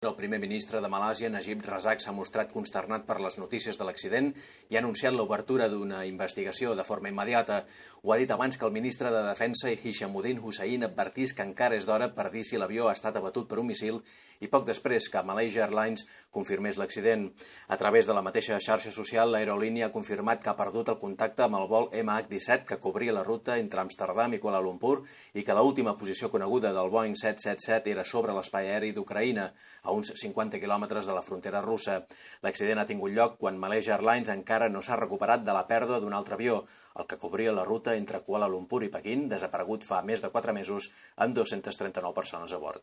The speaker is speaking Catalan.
El primer ministre de Malàsia, Najib Razak, s'ha mostrat consternat per les notícies de l'accident i ha anunciat l'obertura d'una investigació de forma immediata. Ho ha dit abans que el ministre de Defensa, Hishamuddin Hussain, advertís que encara és d'hora per dir si l'avió ha estat abatut per un míssil i poc després que Malaysia Airlines confirmés l'accident. A través de la mateixa xarxa social, l'aerolínia ha confirmat que ha perdut el contacte amb el vol MH17 que cobria la ruta entre Amsterdam i Kuala Lumpur i que l'última posició coneguda del Boeing 777 era sobre l'espai aeri d'Ucraïna, a uns 50 quilòmetres de la frontera russa. L'accident ha tingut lloc quan Malaysia Airlines encara no s'ha recuperat de la pèrdua d'un altre avió, el que cobria la ruta entre Kuala Lumpur i Pequín, desaparegut fa més de 4 mesos, amb 239 persones a bord.